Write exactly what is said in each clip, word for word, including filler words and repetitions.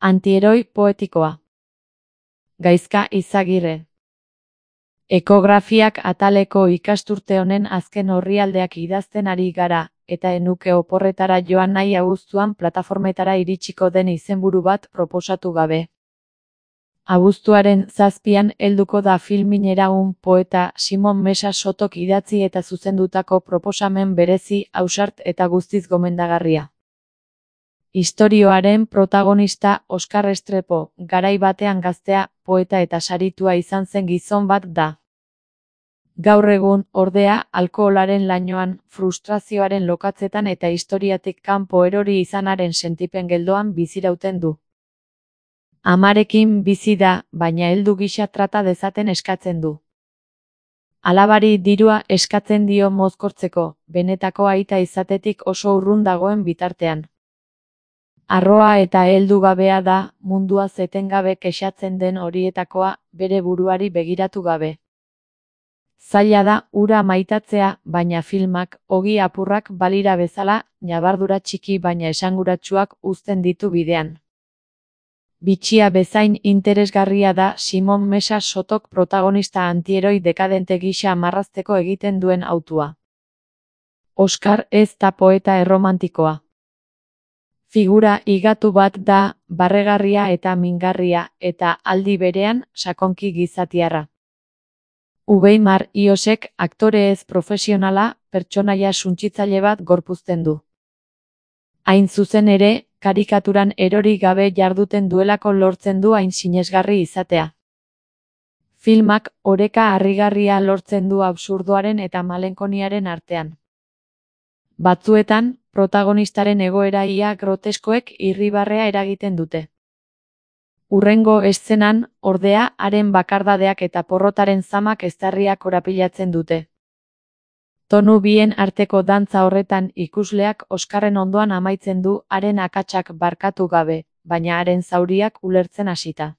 Antieroi poetikoa. Gaizka Izagirre. Ekografiak ataleko ikasturte honen azken orrialdeak idazten ari gara, eta enuke oporretara joan nahi abuztuan plataformetara iritsiko den izenburu bat proposatu gabe. Abuztuaren zazpian helduko da filminera un poeta Simon Mesa Sotok idatzi eta zuzendutako proposamen berezi, ausart eta guztiz gomendagarria. Istorioaren protagonista Oskar Restrepo, garai batean gaztea, poeta eta saritua izan zen gizon bat da. Gaur egun, ordea, alkoholaren lainoan, frustrazioaren lokatzetan eta historiatik kanpo erori izanaren sentipen geldoan bizirauten du. Amarekin bizi da, baina heldu gisa trata dezaten eskatzen du. Alabari dirua eskatzen dio mozkortzeko, benetako aita izatetik oso urrun dagoen bitartean. Arroa eta heldu gabea da, munduaz etengabe kexatzen den horietakoa, bere buruari begiratu gabe. Zaila da hura maitatzea, baina filmak, ogi apurrak balira bezala, ñabardura txiki baina esanguratsuak uzten ditu bidean. Bitxia bezain interesgarria da Simon Mesa Sotok protagonista antieroi dekadente gisa marrazteko egiten duen hautua. Oskar ez da poeta erromantikoa. Figura higatu bat da, barregarria eta mingarria, eta aldi berean, sakonki gizatiarra. Uweimar Iosek aktore ez profesionala, pertsonaia suntsitzaile bat gorpuzten du. Hain zuzen ere, karikaturan erori gabe jarduten duelako lortzen du hain sinesgarri izatea. Filmak oreka harrigarria lortzen du absurdoaren eta malenkoniaren artean. Batzuetan, protagonistaren egoera ia groteskoek irribarrea eragiten dute. Hurrengo eszenan, ordea, haren bakardadeak eta porrotaren zamak eztarriak korapilatzen dute. Tonu bien arteko dantza horretan ikusleak Oskarren ondoan amaitzen du haren akatsak barkatu gabe, baina haren zauriak ulertzen hasita.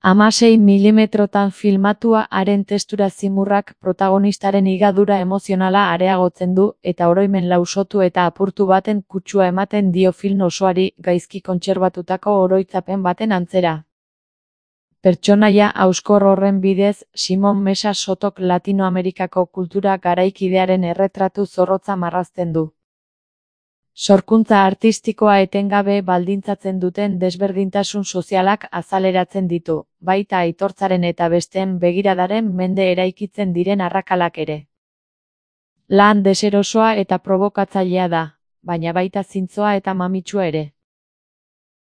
Hamasei milimetrotan filmatua haren testura zimurrak protagonistaren higadura emozionala areagotzen du eta oroimen lausotu eta apurtu baten kutsua ematen dio film osoari gaizki kontserbatutako oroitzapen baten antzera. Pertsonaia hauskor horren bidez, Simon Mesa Sotok Latinoamerikako kultura garaikidearen erretratu zorrotza marrazten du. Sorkuntza artistikoa etengabe baldintzatzen duten desberdintasun sozialak azaleratzen ditu, baita aitortzaren eta besteen begiradaren mende eraikitzen diren arrakalak ere. Lan deserosoa eta probokatzailea da, baina baita zintzoa eta mamitsua ere.